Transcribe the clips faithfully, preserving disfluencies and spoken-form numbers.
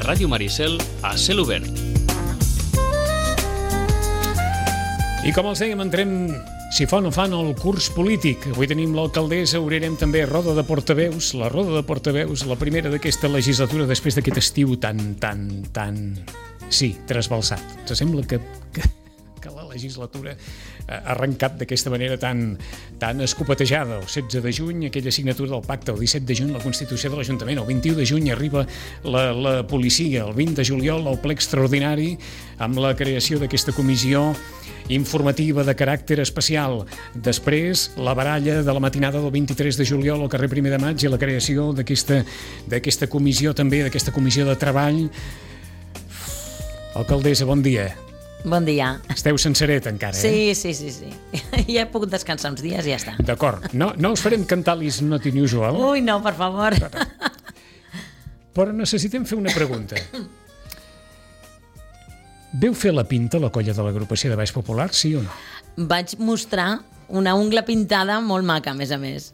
Ràdio Maricel a cel obert. I com els dèiem, entrem, si fa o no fan, el curs polític. Avui tenim l'alcaldessa, obrirem també roda de portaveus, la roda de portaveus, la primera d'aquesta legislatura després d'aquest estiu tan, tan, tan... sí, trasbalsat. Ens sembla que, que, que la legislatura ha arrencat d'aquesta manera tan, tan escopetejada. El setze de juny, aquella signatura del pacte, el disset de juny, la Constitució de l'Ajuntament, el vint-i-u de juny arriba la, la policia, el vint de juliol el ple extraordinari amb la creació d'aquesta comissió informativa de caràcter especial. Després, la baralla de la matinada del vint-i-tres de juliol al carrer primer de maig i la creació d'aquesta d'aquesta comissió també, d'aquesta comissió de treball. Alcaldessa, bon dia. Bon dia. Esteu sencereta encara, sí, eh? Sí, sí, sí. Ja he pogut descansar uns dies i ja està. D'acord. No, no us farem cantar l'Is Not Unusual? Ui, no, per favor. Però, però necessitem fer una pregunta. Veu fer la pinta la colla de l'agrupació de Baix Popular, sí o no? Vaig mostrar una ungla pintada molt maca, a més a més.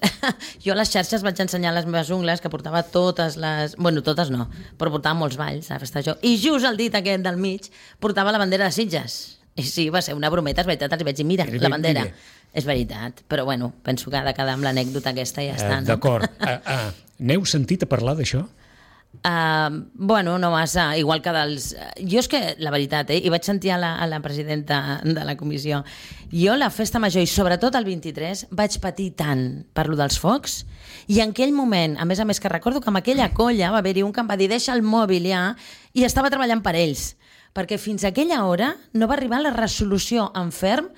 Jo a les xarxes vaig ensenyar les meves ungles, que portava totes les... Bueno, totes no, però portava molts balls a festejar. I just el dit aquest del mig portava la bandera de Sitges. I sí, va ser una brometa, és veritat, els vaig dir, mira, la bandera. És veritat, però bueno, penso que ha de quedar amb l'anècdota aquesta i ja està, uh, no? D'acord. Uh, uh, N'heu sentit a parlar d'això? Uh, bueno, no massa, igual que dels... Jo és que, la veritat, eh, i vaig sentir a la, a la presidenta de la comissió, jo la festa major, i sobretot el vint-i-tres, vaig patir tant per lo dels focs, i en aquell moment, a més a més que recordo que amb aquella colla va haver-hi un que em va dir deixa el mòbil ja, i estava treballant per ells, perquè fins a aquella hora no va arribar la resolució en ferm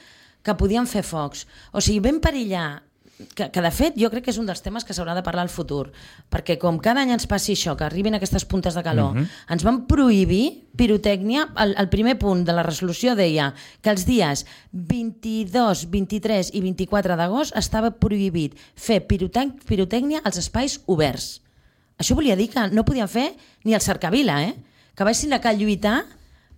que podien fer focs. O sigui, vam perillar Que, que de fet jo crec que és un dels temes que s'haurà de parlar al futur, perquè com cada any ens passi això, que arribin aquestes puntes de calor, uh-huh. ens van prohibir pirotècnia. El, el primer punt de la resolució deia que els dies vint-i-dos, vint-i-tres i vint-i-quatre d'agost estava prohibit fer pirotec- pirotècnia als espais oberts. Això volia dir que no podien fer ni el cercavila, eh? Que vaig ser que lluitar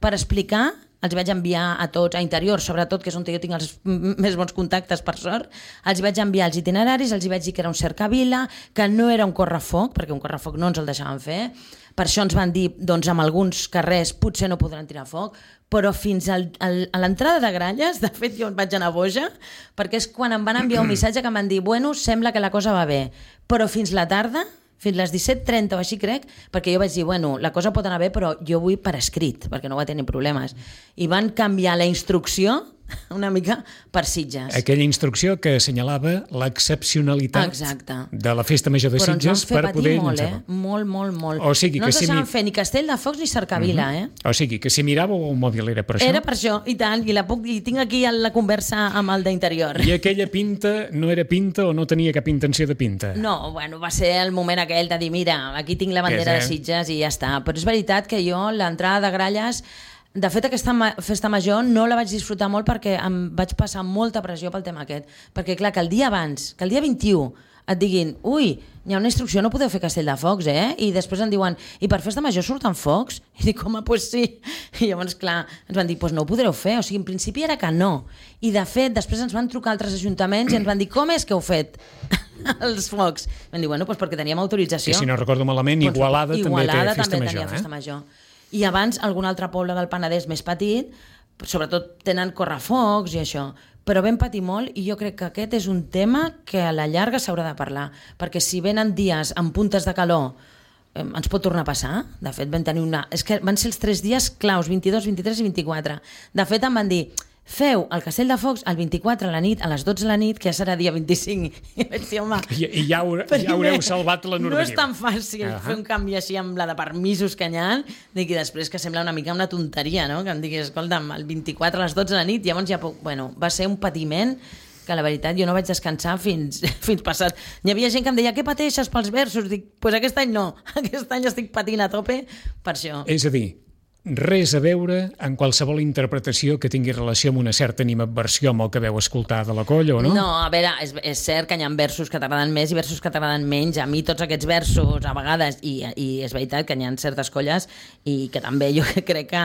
per explicar. Els vaig enviar a tots, a Interior, sobretot, que és on jo tinc els més bons contactes, per sort. Els vaig enviar els itineraris, els vaig dir que era un cercavila, que no era un correfoc, perquè un correfoc no ens el deixaven fer. Per això ens van dir, doncs, en alguns carrers potser no podran tirar foc, però fins al, al, a l'entrada de Gralles, de fet, jo vaig anar boja, perquè és quan em van enviar un missatge que em van dir, bueno, sembla que la cosa va bé, però fins la tarda, fins les disset trenta o així crec, perquè jo vaig dir, bueno, la cosa pot anar bé, però jo vull per escrit, perquè no va tenir problemes. I van canviar la instrucció una mica per Sitges. Aquella instrucció que assenyalava l'excepcionalitat Exacte. de la festa major de Sitges per poder molt, llançar. Eh? Molt, molt, molt. O sigui, no que ens si deixaven mi... fer ni castell de focs ni cercavila, uh-huh. eh? O sigui, que si miràveu el mòbil era per això? Era per això, i tant, i, la puc, i tinc aquí la conversa amb el d'Interior. I aquella pinta no era pinta o no tenia cap intenció de pinta? No, bueno, va ser el moment aquell de dir, mira, aquí tinc la bandera de Sitges i ja està. Però és veritat que jo, l'entrada de Gralles, de fet, aquesta ma- festa major no la vaig disfrutar molt perquè em vaig passar molta pressió pel tema aquest. Perquè, clar, que el dia abans, que el dia vint-i-u, et diguin, ui, hi ha una instrucció, no podeu fer castell de focs, eh? I després em diuen, i per festa major surten focs? I dic, home, doncs pues sí. I llavors, clar, ens van dir, doncs pues no ho podreu fer. O sigui, en principi era que no. I, de fet, després ens van trucar altres ajuntaments i ens van dir, com és que heu fet els focs? Vam dir, bueno, doncs perquè teníem autorització. I si no recordo malament, Doncs, Igualada, Igualada també té festa també major, tenia eh? festa major. I abans, algun altre poble del Penedès més petit, sobretot tenen correfocs i això, però vam patir molt i jo crec que aquest és un tema que a la llarga s'haurà de parlar, perquè si venen dies amb puntes de calor eh, ens pot tornar a passar. De fet, vam tenir una... És que van ser els tres dies claus, vint-i-dos, vint-i-tres i vint-i-quatre. De fet, em van dir, feu el castell de focs el vint-i-quatre a la nit, a les dotze de la nit, que ja serà dia vint-i-cinc. I vaig dir, home... I, i ja, haure, ja haureu salvat la normativa. No és tan fàcil uh-huh. fer un canvi així amb la de permisos que hi ha, dic, i després que sembla una mica una tonteria, no? Que em diguis, escolta'm, el vint-i-quatre a les dotze de la nit, llavors ja puc... Bueno, va ser un patiment que la veritat jo no vaig descansar fins, fins passat. Hi havia gent que em deia, què pateixes pels versos? Dic, doncs pues aquest any no, aquest any estic patint a tope per això. És a dir, res a veure en qualsevol interpretació que tingui relació amb una certa animadversió amb el que veu escoltar de la colla, o no? No, a veure, és, és cert que hi ha versos que t'agraden més i versos que t'agraden menys. A mi tots aquests versos, a vegades, i, i és veritat que hi ha certes colles i que també jo crec que,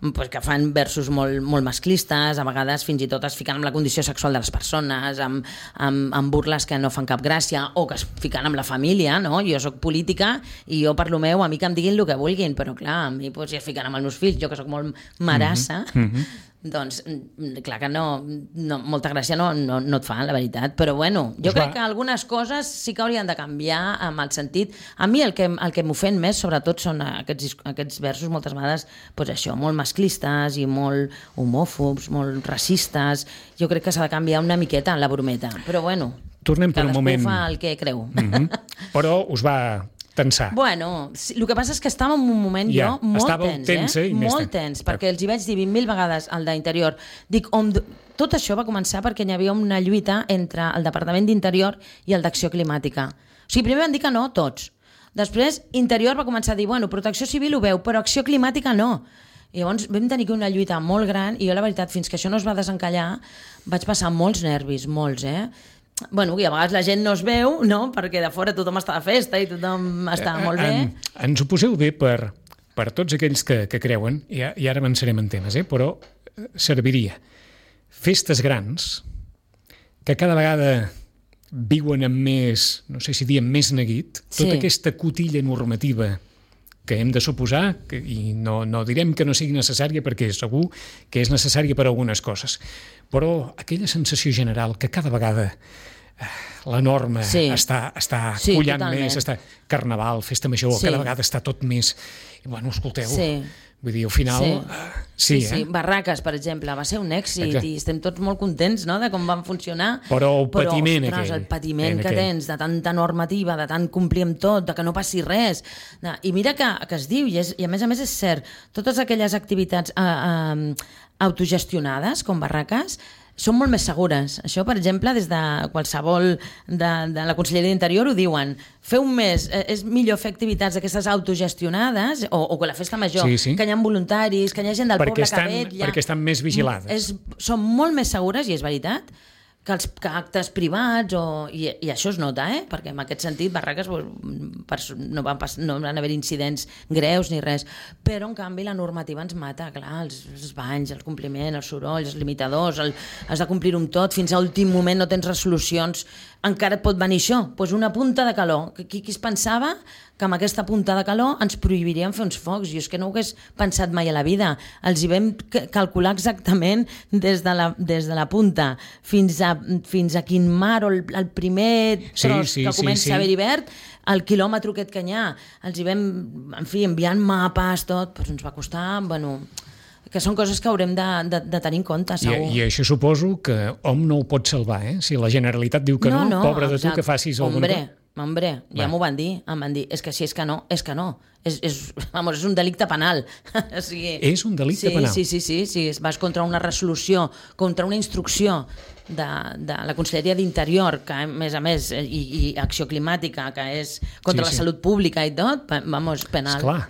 pues, que fan versos molt, molt masclistes, a vegades fins i tot es fiquen amb la condició sexual de les persones, amb, amb, amb burles que no fan cap gràcia, o que es fiquen amb la família, no? Jo sóc política i jo per lo meu, a mi que em diguin el que vulguin, però clar, a mi pues, si es fiquen amb el meus fills, jo que sóc molt marassa, mm-hmm. doncs, clar que no, no molta gràcia no, no, no et fa, la veritat. Però bueno, jo pues crec va. que algunes coses sí que haurien de canviar amb el sentit. A mi el que, el que m'ofèn més, sobretot, són aquests, aquests versos, moltes vegades, pues això, molt masclistes i molt homòfobs, molt racistes. Jo crec que s'ha de canviar una miqueta la brometa. Però bueno, tornem per un moment. Cadascú fa el que creu. Mm-hmm. Però us va tensar. Bueno, sí, el que passa és que estava en un moment ja, jo molt tens, tensa eh? Molt tens, perquè els hi vaig dir vint mil vegades al d'Interior. Dic, om, tot això va començar perquè hi havia una lluita entre el Departament d'Interior i el d'Acció Climàtica. O sigui, primer van dir que no, tots. Després, Interior va començar a dir, bueno, Protecció Civil ho veu, però Acció Climàtica no. I llavors vam tenir una lluita molt gran i jo, la veritat, fins que això no es va desencallar, vaig passar molts nervis, molts, eh? Bueno, i a vegades la gent no es veu, no? Perquè de fora tothom està de festa i tothom està molt bé. En, ens ho poseu bé per, per tots aquells que, que creuen, i, i ara avançarem en temes, eh? Però serviria. Festes grans que cada vegada viuen amb més, no sé si diem més neguit, Sí. tota aquesta cotilla normativa que hem de suposar, que, i no, no direm que no sigui necessària perquè segur que és necessària per a algunes coses, però aquella sensació general que cada vegada eh, la norma Sí. està, està Sí, collant totalment. més, està carnaval, festa major, Sí. cada vegada està tot més... I, bueno, escolteu, Sí. vull dir, al final... Sí. eh, sí, sí, sí. eh? Barraques, per exemple, va ser un èxit Exacte. i estem tots molt contents, no?, de com van funcionar. Però el patiment però, ostres, aquell, el patiment en que aquell. tens de tanta normativa, de tant complir amb tot, de que no passi res. De, I mira que, que es diu, i, és, i a més a més és cert, totes aquelles activitats eh, eh, autogestionades, com barraques, són molt més segures. Això, per exemple, des de qualsevol de, de la Conselleria d'Interior ho diuen. Fer un mes, eh, és millor fer activitats d'aquestes autogestionades o, o que la festa major, Sí, sí. que hi ha voluntaris, que hi ha gent del Perquè poble estan- que vetlla. perquè estan més vigilades. És, són molt més segures, i és veritat, que els que actes privats, o, i, i això es nota, eh? Perquè en aquest sentit Barraques pues, per, no, van pas, no van haver incidents greus ni res, però en canvi la normativa ens mata, clar, els, els banys, el compliment, els sorolls, els limitadors, el, has de complir-ho amb tot, fins a últim moment no tens resolucions, encara et pot venir això, pues una punta de calor. Qui, qui es pensava que amb aquesta punta de calor ens prohibirien fer uns focs? Jo és que no ho hagués pensat mai a la vida. Els hi vam calcular exactament des de la, des de la punta fins a, fins a quin mar o el, el primer tros Sí, sí, que comença sí, sí. a haver verd, el quilòmetre aquest que hi ha. Els hi vam, en fi, enviant mapes, tot, però ens va costar, bueno, que són coses que haurem de, de, de tenir en compte, I, segur. I això suposo que hom no ho pot salvar, eh? Si la Generalitat diu que no, no, no pobre de tu exacte. que facis alguna Hombre, cosa. Hombre, ja Va. m'ho van dir, em van dir, és que si és que no, és que no. És, és, vamos, és un delicte penal. O sigui, És un delicte sí, penal. Sí, sí, sí, sí, vas contra una resolució, contra una instrucció de, de la Conselleria d'Interior, que a més a més, i, i Acció Climàtica, que és contra Sí, la sí. salut pública i tot, pa- vamos, penal. Esclar,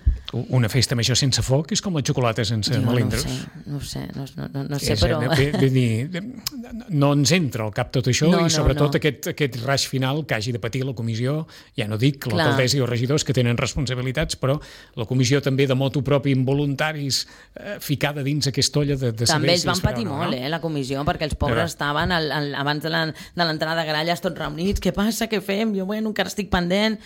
una festa major sense foc és com la xocolata sense Jo no ho melindros. sé, no ho sé, no, no, no, no sé, És, però... eh, vull dir, no ens entra al cap tot això No, i no, sobretot no. aquest, aquest raig final que hagi de patir la comissió, ja no dic Clar. l'alcaldessa i els regidors que tenen responsabilitats, però la comissió també de motu propi involuntaris eh, ficada dins aquesta olla de, de saber També ells si van es farà patir o no, molt, no? eh, la comissió, perquè els pobres Ja. estaven al, al, abans de la- de l'entrada de gralles tots reunits, què passa, què fem? Jo, bueno, encara estic pendent.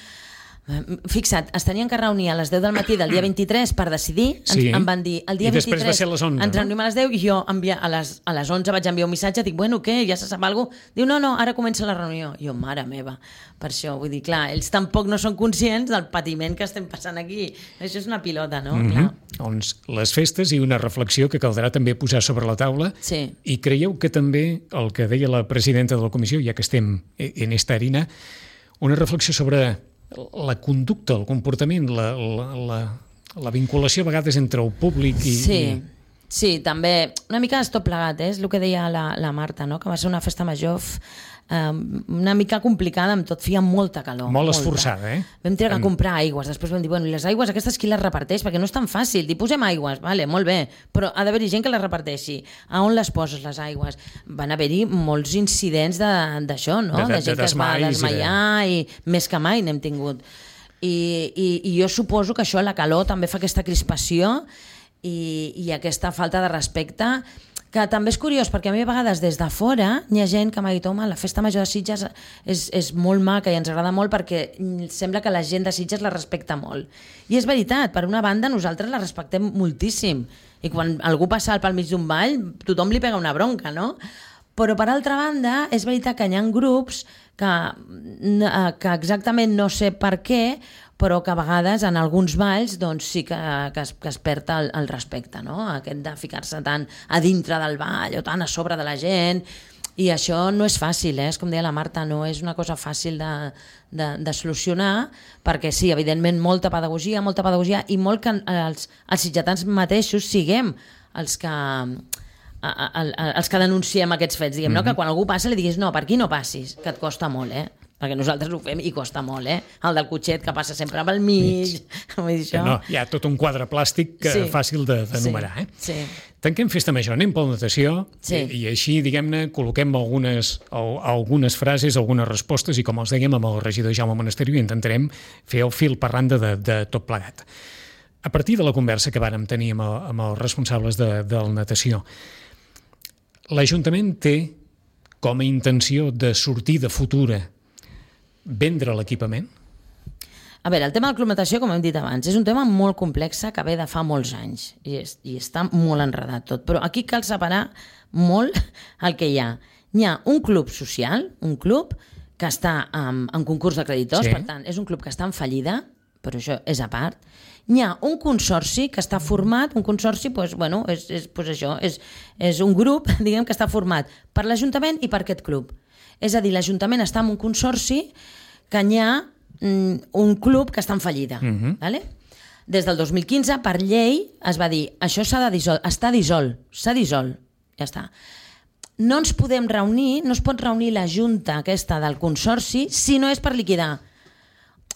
Eh, Fixa't, es tenien que reunir a les deu del matí del dia vint-i-tres per decidir, ens, Sí. em van dir, el dia I després va vint-i-tres ser a les onze, ens no? reunim a les deu i jo envia, a, les, a les onze vaig enviar un missatge, dic, bueno, què, ja se sap alguna cosa? Diu, no, no, ara comença la reunió. Jo, mare meva, per això, vull dir, clar, ells tampoc no són conscients del patiment que estem passant aquí. Això és una pilota, no? Mhm. Clar. Doncs les festes i una reflexió que caldrà també posar sobre la taula. Sí. I creieu que també el que deia la presidenta de la comissió, ja que estem en esta harina, una reflexió sobre la conducta, el comportament, la, la, la, la vinculació a vegades entre el públic i, Sí. i, Sí, també, una mica és tot plegat, eh? És el que deia la, la Marta, no? Que va ser una festa major um, una mica complicada, amb tot, feia molta calor. Molt molta. esforçada, eh? Vam trigar en... a comprar aigües, després vam dir, bueno, i les aigües aquestes qui les reparteix? Perquè no és tan fàcil, dir, posem aigües, vale, molt bé, però ha d'haver-hi gent que les reparteixi. A on les poses, les aigües? Van haver-hi molts incidents d'això, no? De, de, de gent de que es va desmaiar i, de... i més que mai n'hem tingut. I, i, I jo suposo que això, la calor, també fa aquesta crispació i, i aquesta falta de respecte, que també és curiós, perquè a mi a vegades des de fora hi ha gent que m'ha dit, home, la festa major de Sitges és, és molt maca i ens agrada molt perquè sembla que la gent de Sitges la respecta molt. I és veritat, per una banda nosaltres la respectem moltíssim i quan algú passa pel mig d'un ball tothom li pega una bronca, no? Però per altra banda és veritat que hi ha grups que, que exactament no sé per què, però que a vegades en alguns balls doncs, sí que, que, es, que es perd el, el respecte, no? Aquest de ficar-se tant a dintre del ball o tant a sobre de la gent, i això no és fàcil, eh? És com deia la Marta, no és una cosa fàcil de, de, de solucionar, perquè sí, evidentment molta pedagogia, molta pedagogia i molt que els, els sitgetans mateixos siguem els que... A, a, a, els que denunciem aquests fets, diguem, mm-hmm. no? Que quan algú passa li diguis no, per aquí no passis, que et costa molt, eh? Perquè nosaltres ho fem i costa molt, eh? El del cotxet que passa sempre pel mig. mig. No, hi ha tot un quadre plàstic que sí. fàcil d'enumerar, de, sí. eh? Sí. Tanquem festa major, anem per la natació sí. i, i així, diguem-ne, col·loquem algunes, algunes frases, algunes respostes i, com els dèiem, amb el regidor Jaume Monasterio intentarem fer el fil per randa de, de tot plegat. A partir de la conversa que vàrem tenir amb, el, amb els responsables de, de la natació, l'Ajuntament té com a intenció de sortida futura vendre l'equipament? A veure, el tema de la Club Natació, com hem dit abans, és un tema molt complex que ve de fa molts anys i, és, i està molt enredat tot, però aquí cal separar molt el que hi ha. Hi ha un club social, un club que està en, en concurs de creditors, sí. Per tant, és un club que està en fallida, però això és a part. Hi ha un consorci que està format, un consorci, doncs, bueno, és, és, doncs això, és, és un grup, diguem, que està format per l'Ajuntament i per aquest club. És a dir, l'Ajuntament està en un consorci que hi ha mm, un club que està en fallida. Uh-huh. Vale? Des del dos mil quinze, per llei, es va dir això s'ha de dissolt, està dissolt, s'ha dissolt, ja està. No ens podem reunir, no es pot reunir la junta aquesta del consorci si no és per liquidar.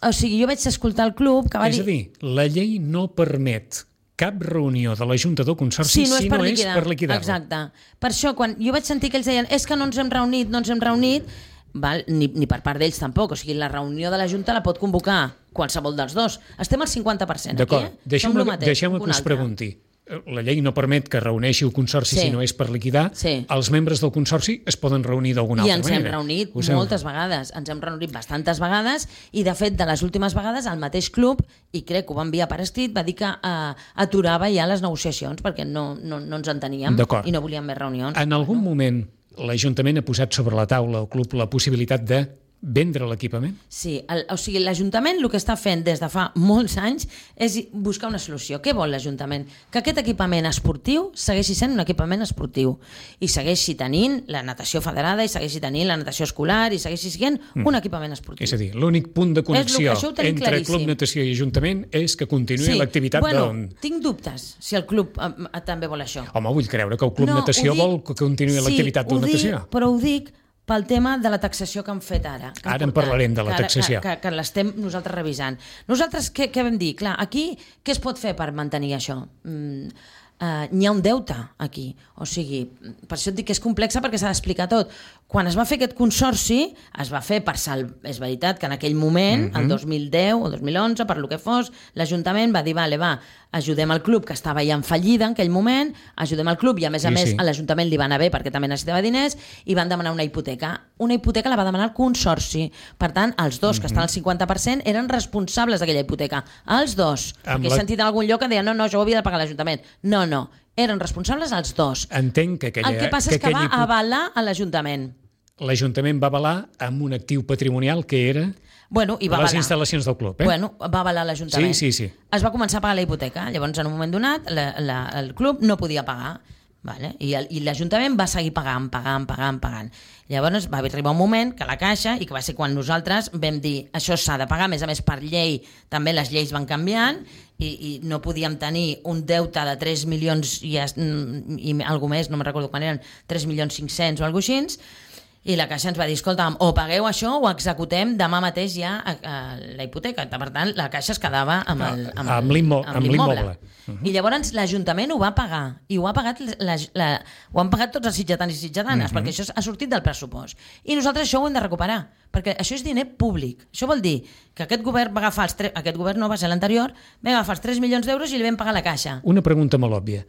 O sigui, jo vaig escoltar el club que va dir... És a dir, la llei no permet cap reunió de la Junta del Consorci si no és, si per, no liquidar. és per liquidar-lo. Exacte. Per això, quan jo vaig sentir que ells deien és que no ens hem reunit, no ens hem reunit, val, ni, ni per part d'ells tampoc. O sigui, la reunió de la Junta la pot convocar qualsevol dels dos. Estem al cinquanta per cent aquí, eh? Deixem-me deixem que us pregunti. La llei no permet que reuneixi el Consorci sí. si no és per liquidar. Sí. Els membres del Consorci es poden reunir d'alguna altra manera. I ens hem reunit us moltes hem... vegades. Ens hem reunit bastantes vegades i, de fet, de les últimes vegades, el mateix club, i crec que ho va enviar per escrit, va dir que uh, aturava ja les negociacions perquè no, no, no ens enteníem i no volíem més reunions. En algun no? moment l'Ajuntament ha posat sobre la taula al club la possibilitat de vendre l'equipament? Sí, el, o sigui, l'Ajuntament el que està fent des de fa molts anys és buscar una solució. Què vol l'Ajuntament? Que aquest equipament esportiu segueixi sent un equipament esportiu i segueixi tenint la natació federada i segueixi tenint la natació escolar i segueixi sent mm. un equipament esportiu. És a dir, l'únic punt de connexió entre claríssim. Club Natació i Ajuntament és que continuï sí. l'activitat bueno, de... tinc dubtes si el club eh, també vol això. Home, vull creure que el Club no, Natació dic, vol que continuï sí, l'activitat de natació. Dic, però ho dic pel tema de la taxació que han fet ara. Que ara en parlarem de la taxació. Que, que, que l'estem nosaltres revisant. Nosaltres què, què vam dir? Clar, aquí què es pot fer per mantenir això? Mm, uh, n'hi ha un deute aquí. O sigui, per això et dic que és complexa perquè s'ha d'explicar tot. Quan es va fer aquest consorci, es va fer per sal... És veritat que en aquell moment, mm-hmm. el dos mil deu o dos mil onze, per lo que fos, l'Ajuntament va dir, vale, va, ajudem el club que estava ja en fallida en aquell moment, ajudem el club i a més a sí, més sí. a l'Ajuntament li va anar bé perquè també necessitava diners i van demanar una hipoteca. Una hipoteca la va demanar el consorci. Per tant, els dos, mm-hmm. que estan al cinquanta per cent, eren responsables d'aquella hipoteca. Els dos. Amb perquè la... he sentit en algun lloc que deia no, no, això ho havia de pagar l'Ajuntament. No, no. Eren responsables els dos. Entenc que aquella... El que passa que és que va hipo... avalar a l'Ajuntament. L'Ajuntament va avalar amb un actiu patrimonial que era bueno, i va les avalar. instal·lacions del club. Eh? Bueno, va avalar l'Ajuntament. Sí, sí, sí. Es va començar a pagar la hipoteca. Llavors, en un moment donat, la, la, el club no podia pagar. Vale? I, el, i l'Ajuntament va seguir pagant, pagant, pagant, pagant. Llavors va arribar un moment que la Caixa, i que va ser quan nosaltres vam dir això s'ha de pagar, a més a més per llei també les lleis van canviant i, i no podíem tenir un deute de tres milions i, i alguna més, no me'n recordo quan eren, tres milions cinc-cents o alguna cosa així, i la Caixa ens va dir, escolta, o pagueu això o executem demà mateix ja a, a la hipoteca. Per tant, la Caixa es quedava amb el, amb amb el, l'immo- amb amb l'immoble. l'immoble. Uh-huh. I llavors l'Ajuntament ho va pagar, i ho ha pagat, la, la, ho han pagat tots els sitjatans i sitjatanes, uh-huh. perquè això ha sortit del pressupost. I nosaltres això ho hem de recuperar, perquè això és diner públic. Això vol dir que aquest govern va agafar els tres, aquest govern no va ser l'anterior, va agafar els tres milions d'euros i li vam pagar a la Caixa. Una pregunta molt òbvia.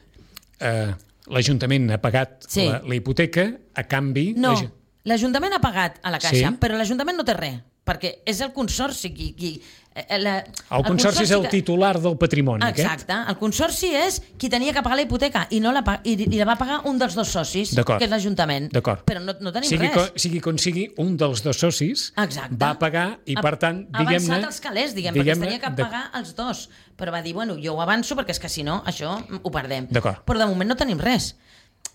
Uh, L'Ajuntament ha pagat Sí. la, la hipoteca, a canvi... No, l'Aju- l'Ajuntament ha pagat a la Caixa, Sí? però l'Ajuntament no té res, perquè és el Consorci qui... qui eh, la, El Consorci és el que- titular del patrimoni, Exacte, aquest? el Consorci és qui tenia que pagar la hipoteca i, no la, pa- i, i la va pagar un dels dos socis, D'acord. que és l'Ajuntament. D'acord. Però no, no tenim sigui, res. co, sigui com sigui, un dels dos socis Exacte. va pagar i, Ha- per tant, ha diguem-ne... avançat els calés, diguem, perquè es diguem-ne tenia que de- pagar els dos. Però va dir, bueno, jo ho avanço perquè és que si no, això ho perdem. D'acord. Però de moment no tenim res.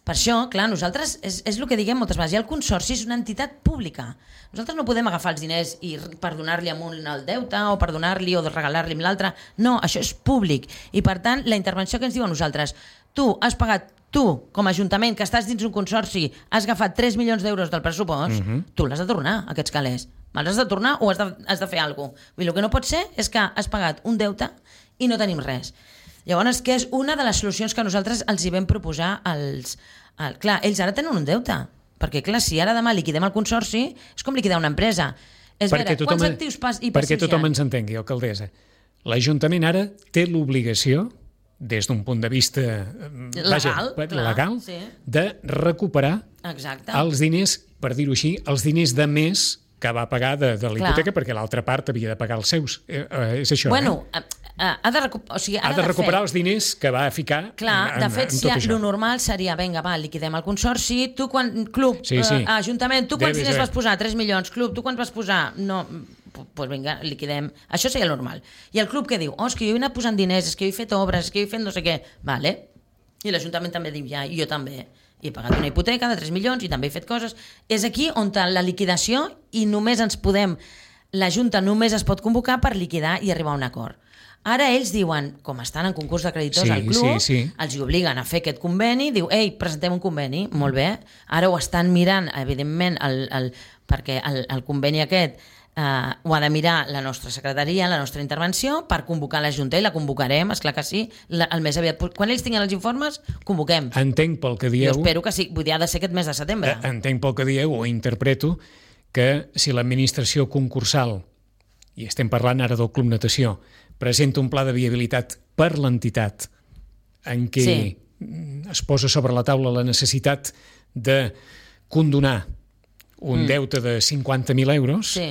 Per això, clar, nosaltres, és, és el que diguem moltes vegades, ja el Consorci és una entitat pública. Nosaltres no podem agafar els diners i per donar-li a un el deute o per donar-li o regalar-li a l'altre. No, això és públic. I per tant, la intervenció que ens diu a nosaltres, tu has pagat, tu, com a Ajuntament, que estàs dins un consorci, has agafat tres milions d'euros del pressupost, uh-huh. tu l'has de tornar, aquests calés. Els has de tornar o has de, has de fer alguna cosa. Vull dir, el que no pot ser és que has pagat un deute i no tenim res. Llavors, que és una de les solucions que nosaltres els hi vam proposar als... Al, clar, ells ara tenen un deute, perquè clar, si ara demà liquidem el consorci, és com liquidar una empresa. És perquè veure, tothom, quants actius pas, i perquè passius tothom hi ha? ens entengui, alcaldessa. L'Ajuntament ara té l'obligació, des d'un punt de vista eh, Legal, vaja, clar, legal sí. de recuperar Exacte. els diners, per dir-ho així, els diners de més que va pagar de, de la Clar. hipoteca, perquè l'altra part havia de pagar els seus. Eh, eh, és això, Bueno, eh? ha, ha de, recu o sigui, Ha ara de recuperar fer... els diners que va ficar Clar, en, de en, fet, en si tot ha, això. lo normal seria, vinga, va, liquidem el consorci, tu quan, club, Sí, sí. Eh, ajuntament, tu quants Debe diners ser. vas posar? tres milions, club, tu quants vas posar? No, doncs pues vinga, liquidem. Això seria el normal. I el club què diu? Oh, és que jo he anat posant diners, és que jo he fet obres, és que jo he fet no sé què. Vale. I l'Ajuntament també diu, ja, i jo també. I he pagat una hipoteca de tres milions i també he fet coses. És aquí on la liquidació i només ens podem... La Junta només es pot convocar per liquidar i arribar a un acord. Ara ells diuen, com estan en concurs de creditors Sí, al club, sí, sí. els hi obliguen a fer aquest conveni, diu, ei, presentem un conveni, molt bé. Ara ho estan mirant, evidentment, el, el, perquè el, el conveni aquest eh, ho ha de mirar la nostra secretaria, la nostra intervenció, per convocar la Junta, i la convocarem, esclar que sí, la, el més aviat. Quan ells tinguin els informes, convoquem. Entenc pel que Jo dieu... espero que sí, vull dir, ha de ser aquest mes de setembre. Eh, Entenc pel que dieu, o interpreto, que si l'administració concursal, i estem parlant ara del Club Natació, presenta un pla de viabilitat per l'entitat en què Sí. es posa sobre la taula la necessitat de condonar un mm. deute de cinquanta mil euros, Sí.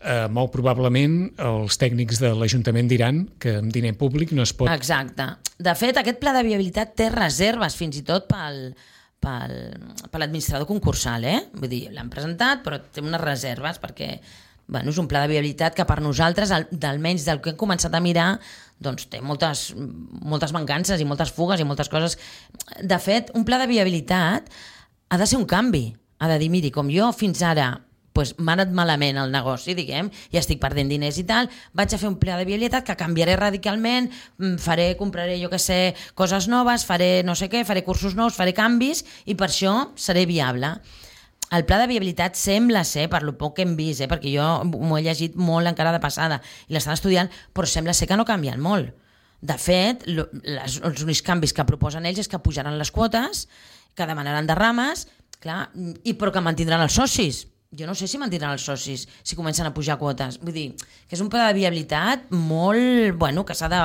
eh, molt probablement els tècnics de l'Ajuntament diran que amb diner públic no es pot... Exacte. De fet, aquest pla de viabilitat té reserves fins i tot pel, pel, per l'administrador concursal, eh? Vull dir, l'han presentat, però té unes reserves perquè bueno, és un pla de viabilitat que per nosaltres, al- d'almenys del que hem començat a mirar, doncs té moltes, moltes mancances i moltes fugues i moltes coses. De fet, un pla de viabilitat ha de ser un canvi. Ha de dir, miri, com jo fins ara pues, m'ha anat malament el negoci, diguem, i estic perdent diners i tal, vaig a fer un pla de viabilitat que canviaré radicalment, mm, faré, compraré, jo què sé, coses noves, faré no sé què, faré cursos nous, faré canvis, i per això seré viable. El pla de viabilitat sembla ser, per lo poc que hem vist, eh, perquè jo m'ho he llegit molt encara de passada i l'estan estudiant, però sembla ser que no canvien molt. De fet, lo, les, els únics canvis que proposen ells és que pujaran les quotes, que demanaran derrames, clar, i però que mantindran els socis. Jo no sé si mantindran els socis si comencen a pujar quotes. Vull dir, que és un pla de viabilitat molt... Bueno, que s'ha de...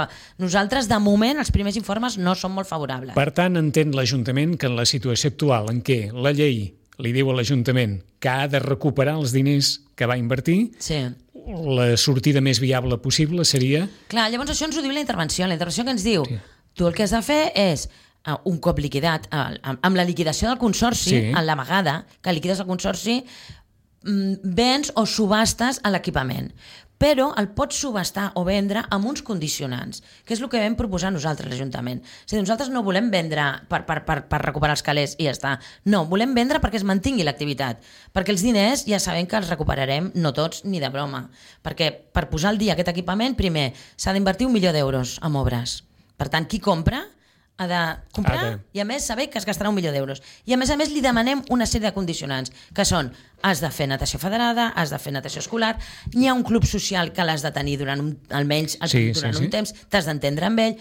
Nosaltres, de moment, els primers informes no són molt favorables. Per tant, entén l'Ajuntament que en la situació actual en què la llei li diu a l'Ajuntament que ha de recuperar els diners que va invertir, Sí. la sortida més viable possible seria... Clar, llavors això ens ho diu la intervenció. La intervenció que ens diu, sí. Tu el que has de fer és, uh, un cop liquidat, uh, amb, amb la liquidació del consorci, Sí. en la vegada que liquides el consorci, mm, vens o subhastes a l'equipament. però el pots subestar o vendre amb uns condicionants, que és el que vam proposar nosaltres, l'Ajuntament. És a dir, nosaltres no volem vendre per, per, per, per recuperar els calés i ja està. No, volem vendre perquè es mantingui l'activitat, perquè els diners ja sabem que els recuperarem, no tots, ni de broma. Perquè per posar al dia aquest equipament, primer, s'ha d'invertir un milió d'euros en obres. Per tant, qui compra ha de comprar ha de... i a més saber que es gastarà un milió d'euros. I a més a més li demanem una sèrie de condicionants, que són, has de fer natació federada, has de fer natació escolar, n'hi ha un club social que l'has de tenir durant un, almenys sí, durant sí, un sí. temps, t'has d'entendre amb ell.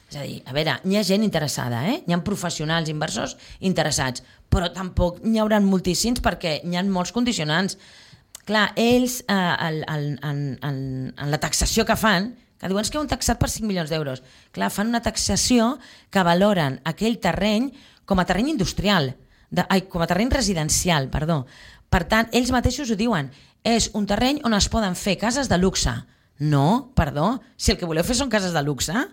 És a dir, a veure, n'hi ha gent interessada, eh? N'hi ha professionals, inversors interessats, però tampoc n'hi haurà moltíssims perquè n'hi ha molts condicionants. Clar, ells, eh, el, el, en, en, en la taxació que fan, que diuen que heu taxat per cinc milions d'euros. Clar, fan una taxació que valoren aquell terreny com a terreny industrial, de, ai, com a terreny residencial, perdó. Per tant, ells mateixos ho diuen, és un terreny on es poden fer cases de luxe. No, perdó, si el que voleu fer són cases de luxe,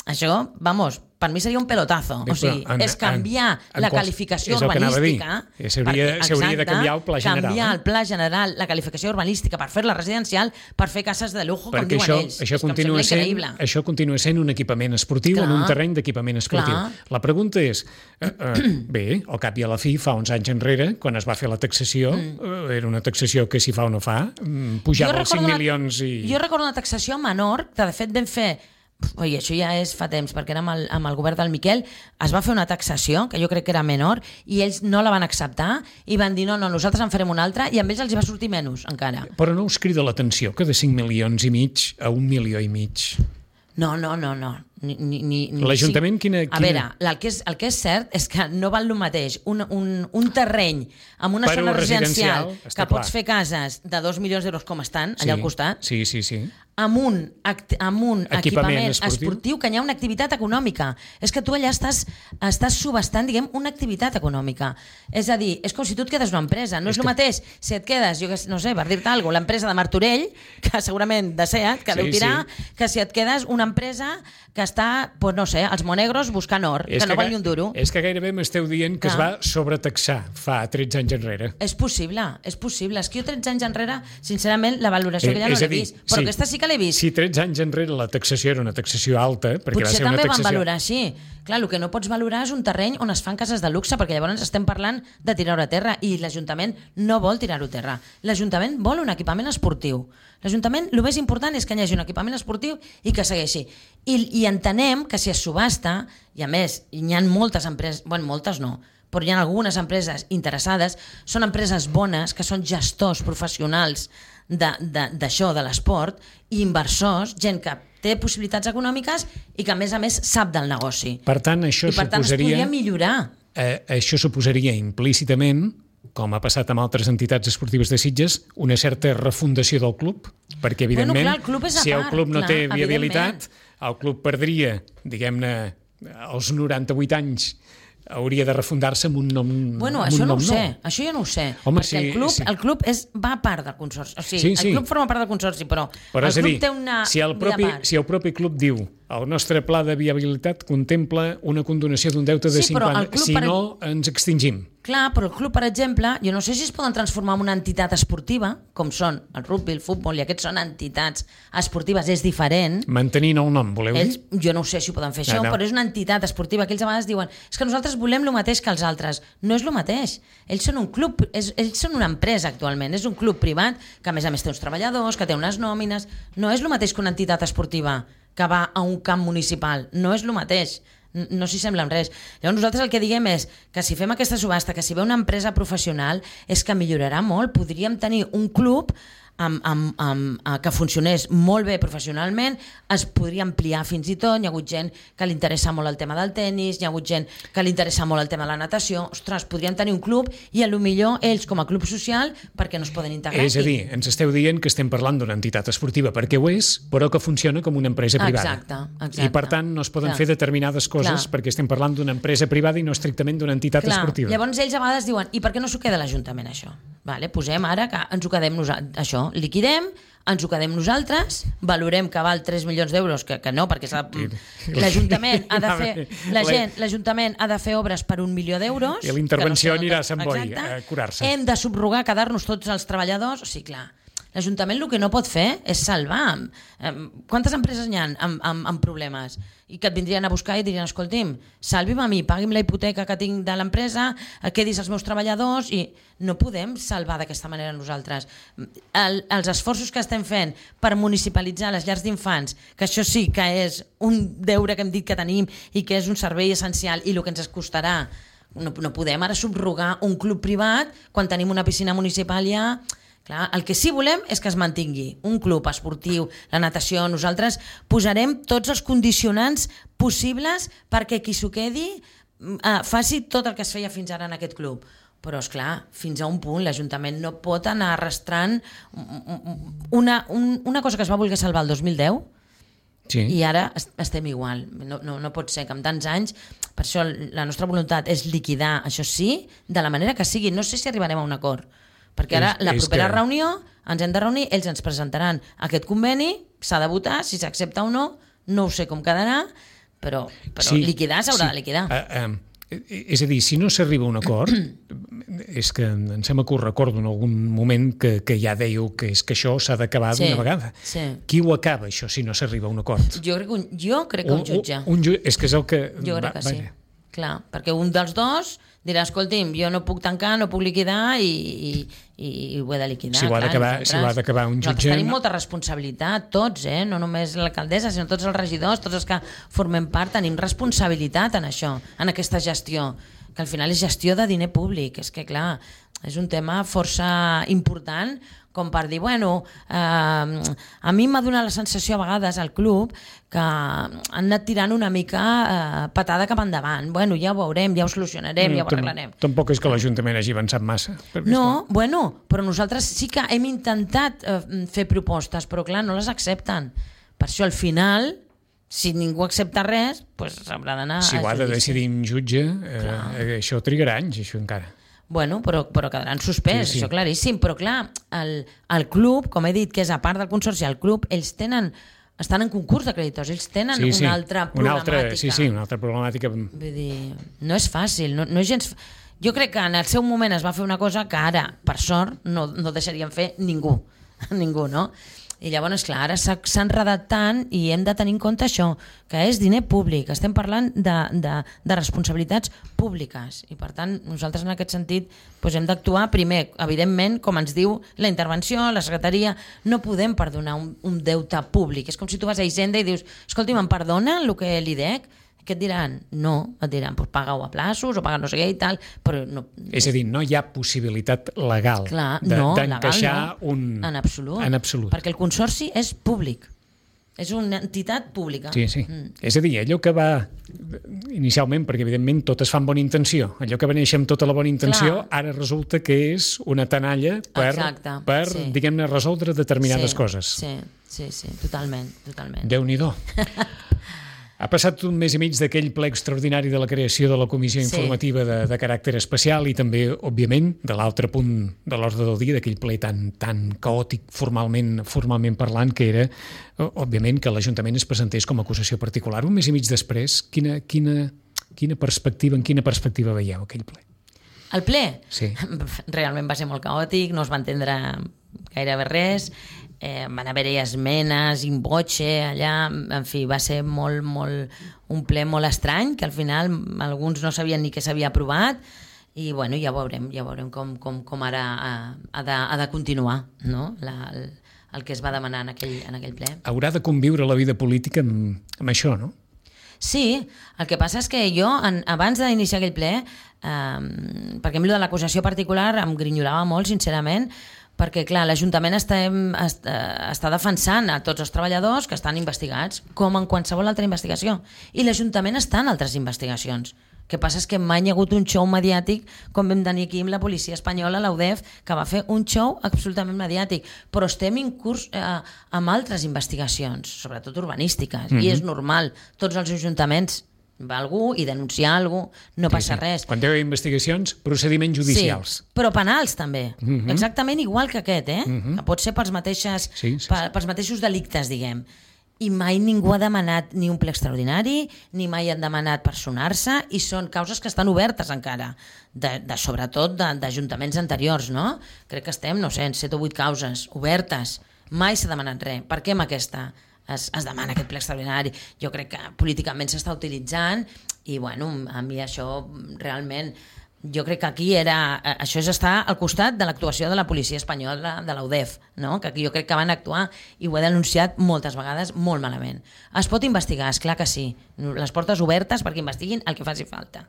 això, vamos, per mi seria un pelotazo. O sigui, en, és canviar en, en la quals, qualificació urbanística. S'hauria de canviar el pla general. Canviar el pla general, la qualificació urbanística per fer-la residencial, per fer cases de lujo, com diuen això, ells. Això continua, sent, això continua sent un equipament esportiu Clar. en un terreny d'equipament esportiu. Clar. La pregunta és, eh, eh, bé, al cap i a la fi, fa uns anys enrere, quan es va fer la taxació, mm. eh, era una taxació que si fa o no fa, pujava els cinc milions i... Jo recordo una taxació menor, que de fet vam fer Oi, això ja és fa temps, perquè era amb el, amb el govern del Miquel, es va fer una taxació, que jo crec que era menor, i ells no la van acceptar, i van dir, no, no, nosaltres en farem una altra, i amb ells els hi va sortir menys, encara. Però no us crida l'atenció que de cinc milions i mig a un milió i mig? No, no, no, no. Ni, ni, ni, L'Ajuntament, sí. quina, quina... A veure, el que, és, el que és cert és que no val el mateix un, un, un terreny amb una per zona residencial, residencial que clar. pots fer cases de dos milions d'euros com estan, allà sí, al costat, sí, sí, sí. amb un, amb un equipament, equipament esportiu. esportiu que hi ha una activitat econòmica. És que tu allà estàs, estàs subestant, diguem, una activitat econòmica. És a dir, és com si tu et quedes una empresa. No és, és el que... mateix si et quedes, jo no sé, per dir-te alguna cosa, l'empresa de Martorell, que segurament de Seat, que sí, deu tirar, sí. que si et quedes una empresa que està, pues no sé, als Monegros buscant or, és que no que, val ni un duro. És que gairebé m'esteu dient que ah. es va sobretaxar fa tretze anys enrere. És possible, és possible. És que jo tretze anys enrere, sincerament, la valoració eh, que ja no l'he vist. Però sí, aquesta sí que l'he vist. Si tretze anys enrere la taxació era una taxació alta, perquè potser va ser una també taxació... van valorar així. Clar, el que no pots valorar és un terreny on es fan cases de luxe, perquè llavors estem parlant de tirar-ho a terra i l'Ajuntament no vol tirar-ho a terra. L'Ajuntament vol un equipament esportiu. L'Ajuntament, el més important és que hi hagi un equipament esportiu i que segueixi. I, i entenem que si es subhasta, i a més, hi ha moltes empreses, bueno, moltes no, però hi ha algunes empreses interessades, són empreses bones, que són gestors professionals d'això, de, de l'esport, i inversors, gent que té possibilitats econòmiques i que a més a més sap del negoci. Per tant, això I per tant suposaria, es podria millorar. Eh, això suposaria implícitament, com ha passat amb altres entitats esportives de Sitges, una certa refundació del club, perquè evidentment, bueno, clar, el club és a si el part, club no clar, té viabilitat, el club perdria, diguem-ne, els noranta-vuit anys, hauria de refundar-se amb un nom Bueno, amb això un no nom ho sé, nou. això jo no ho sé. Home, perquè sí, el club, sí. el club és, va a part del consorci. O sigui, sí, sí. el club forma part del consorci, però, però el club dir, té una si el, propi, si el propi club diu el nostre pla de viabilitat contempla una condonació d'un deute de sí, cinquanta, si per... no ens extingim. Clar, però el club, per exemple, jo no sé si es poden transformar en una entitat esportiva, com són el rugby, el futbol, i aquests són entitats esportives, és diferent. Mantenint el nom, voleu ells, dir? Jo no sé si ho poden fer això, no, no. però és una entitat esportiva que ells a vegades diuen és que nosaltres volem el mateix que els altres. No és el mateix. Ells són un club, és, ells són una empresa actualment, és un club privat que a més a més té uns treballadors, que té unes nòmines. No és el mateix que una entitat esportiva que va a un camp municipal. No és el mateix. No s'hi sembla en res. Llavors nosaltres el que diguem és que si fem aquesta subhasta, que si ve una empresa professional, és que millorarà molt. Podríem tenir un club amb, amb, amb, que funcionés molt bé professionalment, es podria ampliar fins i tot. Hi ha hagut gent que li interessa molt el tema del tennis, hi ha hagut gent que li interessa molt el tema de la natació. Ostres, podrien tenir un club i a lo millor ells com a club social perquè no es poden integrar. És a dir, ens esteu dient que estem parlant d'una entitat esportiva perquè ho és, però que funciona com una empresa privada. Exacte, exacte. I per tant no es poden Clar. fer determinades coses Clar. perquè estem parlant d'una empresa privada i no estrictament d'una entitat Clar. esportiva. Llavors ells a vegades diuen, i per què no s'ho queda l'Ajuntament això? Vale, posem ara que ens ho quedem nosaltres, això, liquidem, ens ho quedem nosaltres, valorem que val tres milions d'euros, que, que no, perquè l'Ajuntament ha de fer la gent, l'Ajuntament ha de fer obres per un milió d'euros. I l'intervenció no sé, anirà a Sant Boi a curar-se. Hem de subrogar, quedar-nos tots els treballadors, o sigui, clar, L'Ajuntament el que no pot fer és salvar. Quantes empreses n'hi ha amb, amb, amb problemes? I que et vindrien a buscar i dirien, escolti'm, salvi'm a mi, pagui'm la hipoteca que tinc de l'empresa, quedis els meus treballadors, i no podem salvar d'aquesta manera nosaltres. El, els esforços que estem fent per municipalitzar les llars d'infants, que això sí que és un deure que hem dit que tenim i que és un servei essencial i el que ens costarà, no, no podem ara subrogar un club privat quan tenim una piscina municipal ja... Clar, el que sí volem és que es mantingui un club esportiu, la natació. Nosaltres posarem tots els condicionants possibles perquè qui s'ho quedi eh, faci tot el que es feia fins ara en aquest club. Però, és clar, fins a un punt l'Ajuntament no pot anar arrastrant una, un, una cosa que es va voler salvar el dos mil deu, sí. I ara estem igual. No, no, no pot ser que en tants anys... Per això la nostra voluntat és liquidar, això sí, de la manera que sigui. No sé si arribarem a un acord, perquè ara la propera que... reunió ens hem de reunir, ells ens presentaran aquest conveni, s'ha de votar, si s'accepta o no, no ho sé com quedarà, però, però sí, liquidar s'haurà sí. de liquidar. Uh, um, és a dir, si no s'arriba a un acord, és que em sembla que ho recordo en algun moment que, que ja dèieu que és que això s'ha d'acabar sí, d'una vegada. Sí. Qui ho acaba, això, si no s'arriba a un acord? Jo crec que un, jo crec que un jutge. Un, un, un, és que és el que... Jo crec que va, sí. Va, clar, perquè un dels dos dirà, escolti'm, jo no puc tancar, no puc liquidar i, i, i ho he de liquidar. Si ho ha d'acabar si d'acabar un jutge... Nosaltres tenim molta responsabilitat, tots, eh? No només l'alcaldessa, sinó tots els regidors, tots els que formem part, tenim responsabilitat en això, en aquesta gestió, que al final és gestió de diner públic. És que, clar, és un tema força important com per dir, bueno, eh, a mi m'ha donat la sensació a vegades al club que han anat tirant una mica eh, patada cap endavant. Bueno, ja ho veurem, ja ho solucionarem, no, ja ho arreglarem. Tampoc és que l'Ajuntament hagi avançat massa. No, bueno, però nosaltres sí que hem intentat eh, fer propostes, però clar, no les accepten. Per això al final, si ningú accepta res, pues s'haurà d'anar a judici. Si ho ha de decidir un jutge, eh, això trigarà anys, això encara. Bueno, però, però quedaran suspès, sí, sí. Això claríssim. Però clar, el, el club, com he dit, que és a part del consorci, el club, ells tenen, estan en concurs de creditors, ells tenen sí, sí. una altra problemàtica. Una altra, sí, sí, una altra problemàtica. Vull dir, no és fàcil, no, no és gens... Jo crec que en el seu moment es va fer una cosa que ara, per sort, no, no deixarien fer ningú. Ningú, no? I llavors, clar, ara s'ha enredat tant i hem de tenir en compte això, que és diner públic, estem parlant de, de, de responsabilitats públiques i per tant nosaltres en aquest sentit doncs hem d'actuar primer, evidentment, com ens diu la intervenció, la secretaria, no podem perdonar un, un deute públic, és com si tu vas a Hisenda i dius, escolti, me'n perdonen el que li dec? Què et diran? No, et diran, pues paga-ho a plaços o paga no sé què i tal, però no... És a dir, no hi ha possibilitat legal Clar, de, no, d'encaixar no. un... En absolut. En absolut. Perquè el consorci és públic. És una entitat pública. Sí, sí. Mm. És a dir, allò que va inicialment, perquè evidentment tot es fa amb bona intenció, allò que va néixer amb tota la bona intenció, Clar. Ara resulta que és una tenalla per, per sí. diguem-ne, resoldre determinades sí, coses. Sí, sí, sí, totalment, totalment. Déu-n'hi-do. Ha passat un mes i mig d'aquell ple extraordinari de la creació de la comissió sí. informativa de, de caràcter especial i també, òbviament, de l'altre punt de l'ordre del dia, d'aquell ple tan, tan caòtic formalment, formalment parlant, que era, òbviament, que l'Ajuntament es presentés com a acusació particular. Un mes i mig després, quina, quina, quina perspectiva, en quina perspectiva veieu aquell ple? El ple? Sí. Realment va ser molt caòtic, no es va entendre gairebé res, eh, van haver-hi esmenes in voce allà, en fi, va ser molt, molt, un ple molt estrany, que al final alguns no sabien ni què s'havia aprovat, i bueno, ja veurem, ja veurem com, com, com ara ha, ha, de, ha de continuar, no? La, el, el que es va demanar en aquell, en aquell ple. Haurà de conviure la vida política amb, amb això, no? Sí, el que passa és que jo, en, abans d'iniciar aquell ple, eh, perquè a mi de l'acusació particular em grinyolava molt, sincerament, perquè, clar, l'Ajuntament està, està, està defensant a tots els treballadors que estan investigats, com en qualsevol altra investigació. I l'Ajuntament està en altres investigacions. El que passa és que mai hi ha hagut un show mediàtic com vam tenir aquí amb la policia espanyola, la U D E F, que va fer un show absolutament mediàtic. Però estem en curs eh, amb altres investigacions, sobretot urbanístiques, mm-hmm. i és normal. Tots els ajuntaments va algú i denunciar algú, no passa sí, sí. res. Quan hi ha investigacions, procediments judicials. Sí, però penals també. Mm-hmm. Exactament igual que aquest, eh? Mm-hmm. Que pot ser pels, mateixes, sí, sí, sí. pels mateixos delictes, diguem. i mai ningú ha demanat ni un ple extraordinari, ni mai han demanat personar-se, i són causes que estan obertes encara, de, de sobretot d'ajuntaments anteriors, no? Crec que estem, no sé, en set o vuit causes obertes, mai s'ha demanat res. Per què amb aquesta es, es demana aquest ple extraordinari? Jo crec que políticament s'està utilitzant i, bueno, a mi això realment... Jo crec que aquí era... Això és estar al costat de l'actuació de la policia espanyola, de la U D E F, no? Que aquí jo crec que van actuar, i ho he denunciat moltes vegades, molt malament. Es pot investigar, és clar que sí. Les portes obertes perquè investiguin el que faci falta.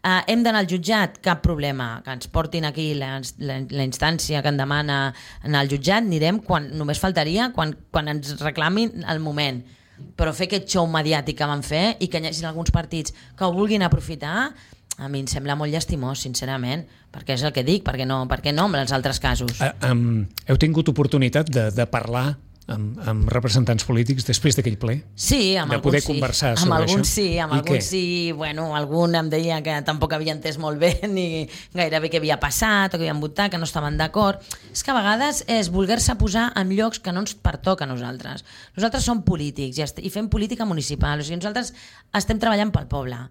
Uh, hem d'anar al jutjat? Cap problema. Que ens portin aquí la, la, la instància que en demana anar al jutjat, anirem quan només faltaria, quan, quan ens reclamin el moment. Però fer aquest show mediàtic que van fer i que hi hagi alguns partits que ho vulguin aprofitar, a mi em sembla molt llastimós, sincerament, perquè és el que dic, perquè no, perquè no amb els altres casos. Uh, um, heu tingut oportunitat de, de parlar amb, amb representants polítics després d'aquell ple? Sí, amb de poder alguns sí. conversar amb sobre alguns això? sí, amb I alguns què? sí, bueno, algun em deia que tampoc havia entès molt bé ni gairebé què havia passat o que havien votat, que no estaven d'acord. És que a vegades és voler-se posar en llocs que no ens pertoca a nosaltres. Nosaltres som polítics i, i fem política municipal, o sigui, nosaltres estem treballant pel poble.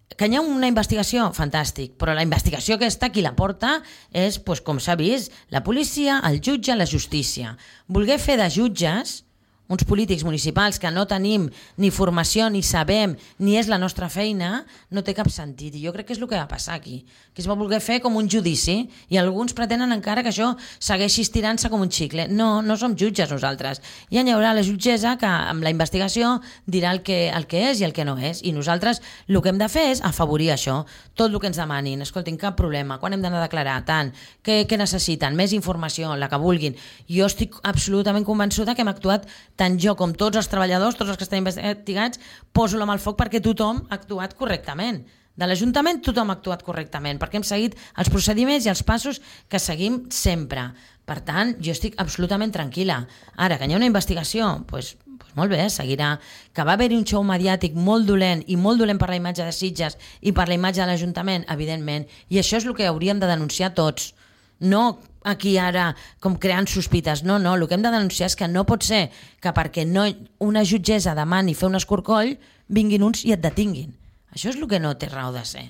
Que hi ha una investigació, fantàstic, però la investigació aquesta, qui la porta és, doncs, com s'ha vist, la policia, el jutge, la justícia. Voler fer de jutges uns polítics municipals que no tenim ni formació, ni sabem, ni és la nostra feina, no té cap sentit. I jo crec que és el que va passar aquí, que es va voler fer com un judici, i alguns pretenen encara que això segueixi estirant-se com un xicle. No, no som jutges nosaltres. Ja hi haurà la jutgessa que amb la investigació dirà el que, el que és i el que no és, i nosaltres el que hem de fer és afavorir això, tot el que ens demanin. Escoltin, cap problema, quan hem d'anar a declarar, tant, què, què necessiten, més informació, la que vulguin. Jo estic absolutament convençuda que hem actuat, tant jo com tots els treballadors, tots els que estan investigats, poso la mà al foc perquè tothom ha actuat correctament. De l'Ajuntament tothom ha actuat correctament, perquè hem seguit els procediments i els passos que seguim sempre. Per tant, jo estic absolutament tranquil·la. Ara, que hi ha una investigació, doncs, doncs molt bé, seguirà. Que va haver-hi un show mediàtic molt dolent, i molt dolent per la imatge de Sitges i per la imatge de l'Ajuntament, evidentment. I això és el que hauríem de denunciar tots. No aquí ara com creant sospites, no, no, el que hem de denunciar és que no pot ser que perquè no, una jutgessa demani fer un escorcoll, vinguin uns i et detinguin. Això és el que no té raó de ser.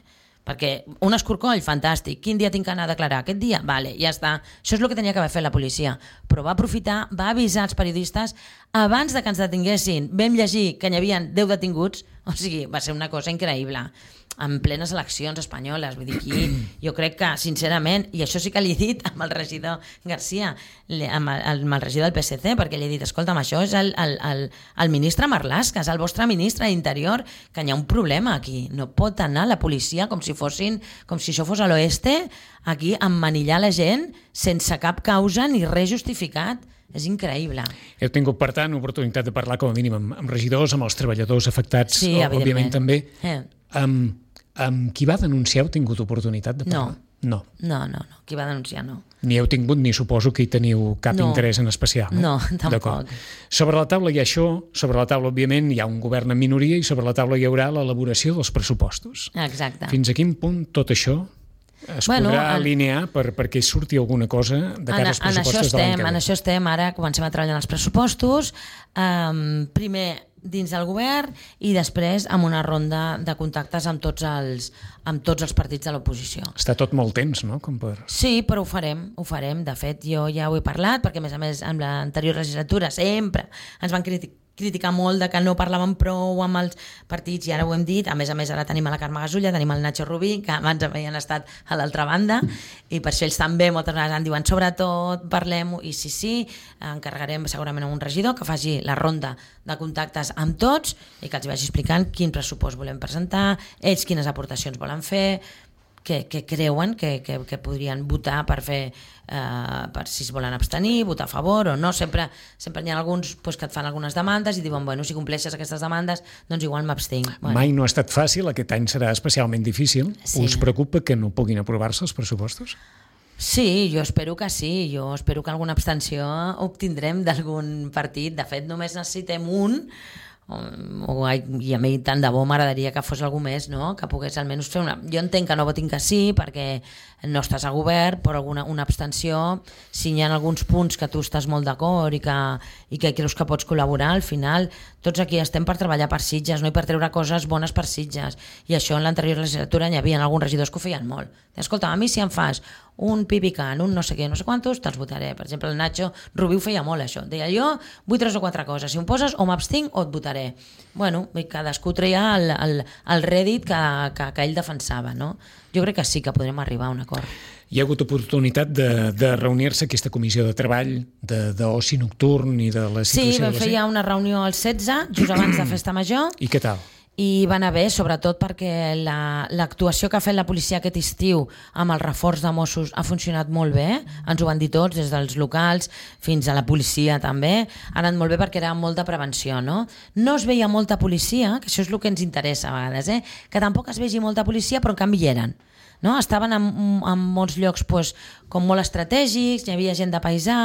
Perquè un escorcoll, fantàstic, quin dia tinc que anar a declarar? Aquest dia? Vale, ja està. Això és el que tenia que haver fet la policia. Però va aprofitar, va avisar els periodistes abans de que ens detinguessin. Vam llegir que n'hi havia deu detinguts, o sigui, va ser una cosa increïble. En plenes eleccions espanyoles, vull dir, aquí, jo crec que, sincerament, i això sí que li he dit amb el regidor García, amb el, amb el regidor del P S C, perquè li he dit, escolta'm, això és el, el, el, el ministre Marlaska, és el vostre ministre d'Interior, que hi ha un problema aquí. No pot anar la policia com si fossin, com si això fos a l'oeste, aquí a emmanillar la gent sense cap causa ni res justificat. És increïble. Heu tingut, per tant, oportunitat de parlar com a mínim amb, amb regidors, amb els treballadors afectats, sí, òbviament també. Eh. Amb, amb qui va denunciar heu tingut oportunitat de parlar? No. No, no, no. Qui va denunciar, no. Ni heu tingut, ni suposo que hi teniu cap no. interès en especial. Eh? No, tampoc. Sobre la taula hi ha això, sobre la taula, òbviament, hi ha un govern en minoria i sobre la taula hi haurà l'elaboració dels pressupostos. Exacte. Fins a quin punt tot això es bueno, podrà el... alinear per, perquè surti alguna cosa de cara als pressupostos de l'any que ve? En això estem, ara comencem a treballar en els pressupostos, um, primer dins del govern i després amb una ronda de contactes amb tots els, amb tots els partits de l'oposició. Està tot molt tens, no? Com per... Sí, però ho farem, ho farem. De fet, jo ja ho he parlat, perquè a més a més en l'anterior legislatura sempre ens van criticar criticar molt de que no parlàvem prou amb els partits, i ara ho hem dit. A més a més, ara tenim a la Carme Gasulla, tenim el Nacho Rubí, que abans havien estat a l'altra banda, i per això ells també moltes vegades en diuen sobretot parlem-ho, i sí, sí, encarregarem segurament a un regidor que faci la ronda de contactes amb tots i que els vagi explicant quin pressupost volem presentar, ells quines aportacions volen fer, que, que creuen que, que, que podrien votar per fer, eh, per si es volen abstenir, votar a favor o no. Sempre, sempre hi ha alguns pues, que et fan algunes demandes i diuen, bueno, si compleixes aquestes demandes, doncs igual m'abstinc. Bueno. Mai no ha estat fàcil, aquest any serà especialment difícil. Sí. Us preocupa que no puguin aprovar-se els pressupostos? Sí, jo espero que sí. Jo espero que alguna abstenció obtindrem d'algun partit. De fet, només necessitem un o, i a mi tant de bo m'agradaria que fos algú més, no? Que pogués almenys fer una... Jo entenc que no votin que sí perquè no estàs a govern, però alguna, una abstenció, si hi ha alguns punts que tu estàs molt d'acord i que, i que creus que pots col·laborar, al final tots aquí estem per treballar per Sitges, no? I per treure coses bones per Sitges, i això en l'anterior legislatura hi havia alguns regidors que ho feien molt. Escolta, a mi si em fas un pipicant, un no sé què, no sé quantos, te'ls votaré. Per exemple, el Nacho Rubí ho feia molt, això. Deia, jo vull tres o quatre coses. Si em poses, o m'abstinc o et votaré. Bueno, cadascú treia el, el, el rèdit que, que, que ell defensava, no? Jo crec que sí que podrem arribar a un acord. Hi ha hagut oportunitat de, de reunir-se aquesta comissió de treball, d'oci nocturn i de la situació... Sí, vam fer ja una reunió el setze, just abans de Festa Major. I què tal? I va anar bé, sobretot perquè l'actuació la, que ha fet la policia aquest estiu amb el reforç de Mossos ha funcionat molt bé, ens ho van dir tots, des dels locals fins a la policia també, ha anat molt bé perquè era molt de prevenció, no? No es veia molta policia, que això és el que ens interessa a vegades, eh? Que tampoc es vegi molta policia, però en canvi hi eren. No? Estaven en, en molts llocs pues, com molt estratègics, hi havia gent de paisà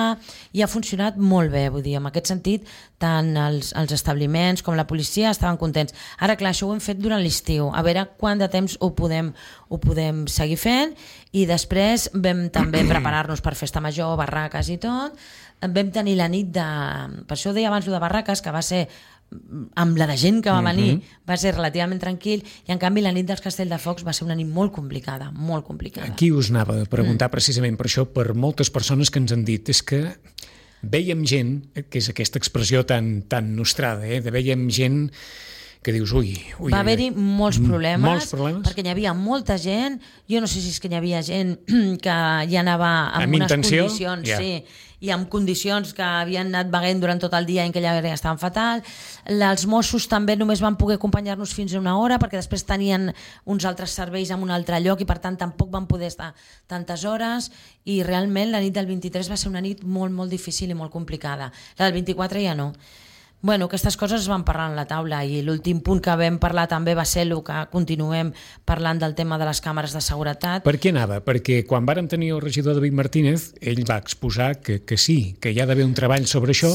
i ha funcionat molt bé, vull dir, en aquest sentit tant els, els establiments com la policia estaven contents. Ara clar, això ho hem fet durant l'estiu, a veure quant de temps ho podem, ho podem seguir fent, i després vam també preparar-nos per Festa Major, barraques i tot. Vam tenir la nit de... Per això ho deia abans de barraques, que va ser amb la de gent que va venir, uh-huh. va ser relativament tranquil, i en canvi la nit dels Castelldefocs va ser una nit molt complicada, molt complicada. Aquí us anava a preguntar mm. precisament per això, per moltes persones que ens han dit, és que veiem gent, que és aquesta expressió tan, tan nostrada, eh? de veiem gent que dius, ui... ui va haver-hi molts problemes, molts problemes, perquè hi havia molta gent, jo no sé si és que hi havia gent que hi anava amb, amb unes intenció? condicions, Yeah. sí, i amb condicions que havien anat beguent durant tot el dia i en aquella hora estaven fatal. Els Mossos també només van poder acompanyar-nos fins a una hora perquè després tenien uns altres serveis en un altre lloc i per tant tampoc van poder estar tantes hores, i realment la nit del vint-i-tres va ser una nit molt, molt difícil i molt complicada. La del vint-i-quatre ja no. Bueno, aquestes coses es van parlar en la taula, i l'últim punt que vam parlar també va ser el que continuem parlant del tema de les càmeres de seguretat. Per què anava? Perquè quan vàrem tenir el regidor David Martínez, ell va exposar que, que sí, que hi ha d'haver un treball sobre això.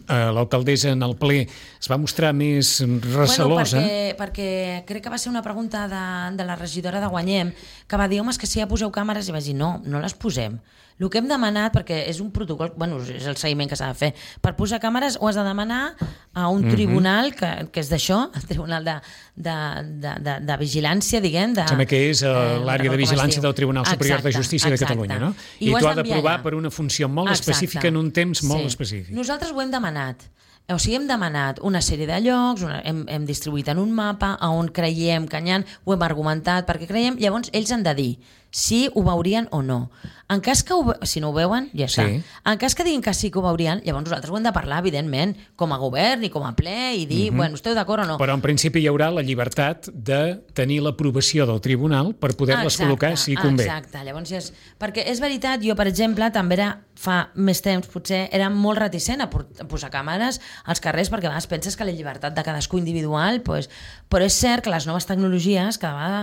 L'alcaldessa en el ple es va mostrar més recelosa. Bueno, perquè, perquè crec que va ser una pregunta de, de la regidora de Guanyem, que va dir, home, és que si ja poseu càmeres, i vaig dir, no, no les posem. El que hem demanat, perquè és un protocol, bueno, és el seguiment que s'ha de fer, per posar càmeres ho has de demanar a un tribunal que, que és d'això, el Tribunal de, de, de, de, de Vigilància, diguem. De, Sembla que és l'àrea de vigilància del Tribunal Superior exacte, de Justícia exacte. de Catalunya, no? I, I tu has d'aprovar allà. per una funció molt exacte. específica en un temps molt sí. específic. Nosaltres ho hem demanat. O sigui, hem demanat una sèrie de llocs, una, hem, hem distribuït en un mapa a on creiem que n'hi ha, ho hem argumentat perquè creiem, llavors ells han de dir si ho veurien o no. En cas que ho, si no ho veuen, ja està. Sí. En cas que diguin que sí que ho veurien, llavors nosaltres ho hem de parlar, evidentment, com a govern i com a ple, i dir, uh-huh. bueno, esteu d'acord o no? Però en principi hi haurà la llibertat de tenir l'aprovació del tribunal per poder-les col·locar si convé. Exacte, llavors és... Perquè és veritat, jo, per exemple, també era fa més temps, potser era molt reticent a posar càmeres als carrers, perquè a vegades penses que la llibertat de cadascú individual, pues, però és cert que les noves tecnologies cada vegada,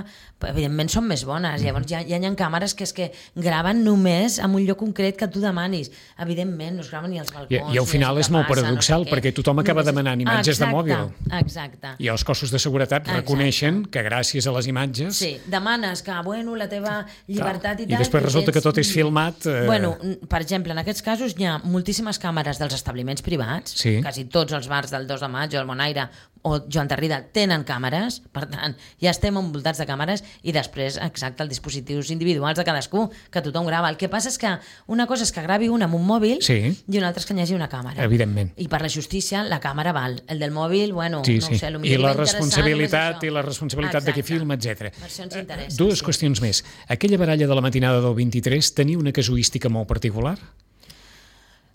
evidentment, són més bones. Llavors ja, ja hi ha càmeres que és que graven només en un lloc concret que tu demanis. Evidentment, no es graven ni als balcons. I, i al final és molt passa, paradoxal, no sé perquè tothom acaba només... demanant imatges exacte, de mòbil. Exacte. I els cossos de seguretat exacte. reconeixen que gràcies a les imatges... Sí, demanes que, bueno, la teva llibertat i tal... I després resulta que tot és filmat... Eh... Bueno, per exemple, en aquests casos hi ha moltíssimes càmeres dels establiments privats, sí. quasi tots els bars del dos de maig o el Bonaire o Joan Tarrida tenen càmeres, per tant, ja estem envoltats de càmeres, i després, exacte, els dispositius individuals de cadascú, que tothom grava. El que passa és que una cosa és que gravi un amb un mòbil sí. i una altra és que hi hagi una càmera. Evidentment. I per la justícia, la càmera val. El del mòbil, bueno, sí, no sí. ho sé, I la responsabilitat i la responsabilitat de qui filma, etcètera. Per això ens interessa. Dues sí. qüestions més. Aquella baralla de la matinada del vint-i-tres tenia una casuística molt particular?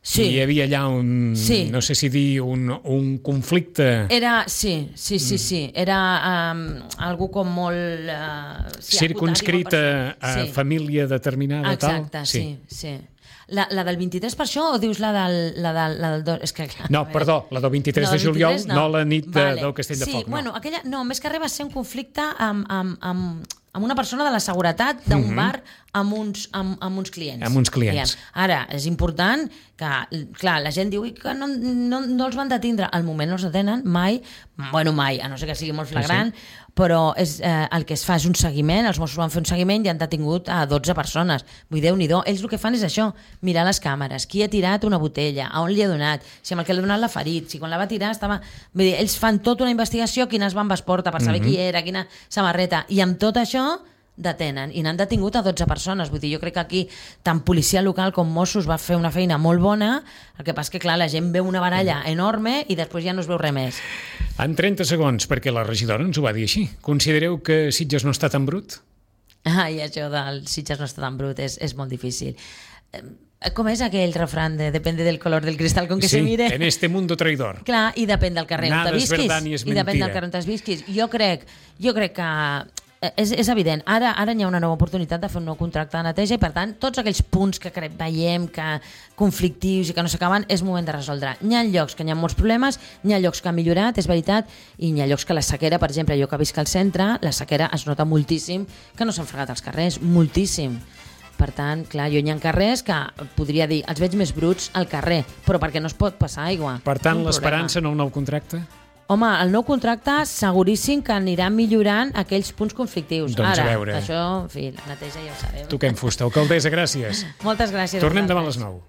Sí. Hi havia allà un, sí. no sé si dir, un, un conflicte... Era, sí, sí, sí, sí. Era um, algú com molt... Uh, sí, circunscrita a sí. família determinada, exacte, tal? Sí, sí, sí. La, la del vint-i-tres per això o dius la del... La del, la del és que, clar, no, perdó, la del vint-i-tres no, de juliol, no. no la nit de, vale. del Castell de sí, Foc. No. Bueno, aquella, no, més que res va ser un conflicte amb, amb, amb, amb una persona de la seguretat d'un uh-huh. bar amb uns, amb, amb uns clients. Amb uns clients. Diguem. Ara, és important que, clar, la gent diu que no, no, no els van detindre. Al moment no els detenen mai, bueno, mai, a no ser que sigui molt flagrant, sí, sí. però és, eh, el que es fa és un seguiment, els Mossos van fer un seguiment i han detingut a dotze persones. Vull dir, Déu-n'hi-do. Ells el que fan és això, mirar les càmeres, qui ha tirat una botella, a on li ha donat, si amb el que li ha donat l'ha ferit, si quan la va tirar estava... Vull dir, ells fan tota una investigació, quines bambes porta per saber mm-hmm. qui era, quina samarreta, i amb tot això detenen, i n'han detingut a dotze persones. Vull dir, jo crec que aquí tant policia local com Mossos va fer una feina molt bona, el que passa que, clar, la gent veu una baralla enorme i després ja no es veu res més. En trenta segons, perquè la regidora ens ho va dir així. Considereu que Sitges no està tan brut? Ah, i això del Sitges no està tan brut és, és molt difícil. Com és aquell refrán de depende del color del cristal con que sí, se mire? en este mundo traidor. Clar, i depèn del carrer on te visquis. I depèn del carrer on te visquis. Jo crec, jo crec que és, és evident. Ara, ara hi ha una nova oportunitat de fer un nou contracte de neteja i, per tant, tots aquells punts que veiem que conflictius i que no s'acaben, és moment de resoldre. Hi ha llocs que hi ha molts problemes, hi ha llocs que han millorat, és veritat, i hi ha llocs que la sequera, per exemple, jo que visc al centre, la sequera es nota moltíssim que no s'han fregat els carrers, moltíssim. Per tant, clar, jo hi ha carrers que podria dir, els veig més bruts al carrer, però perquè no es pot passar aigua. Per tant, l'esperança en un nou contracte? Home, el nou contracte seguríssim que anirà millorant aquells punts conflictius. Doncs Ara, a veure. això, en fi, la neteja ja ho sabem. Toquem fusta. Alcaldessa, gràcies. Moltes gràcies. Tornem demà a les nou.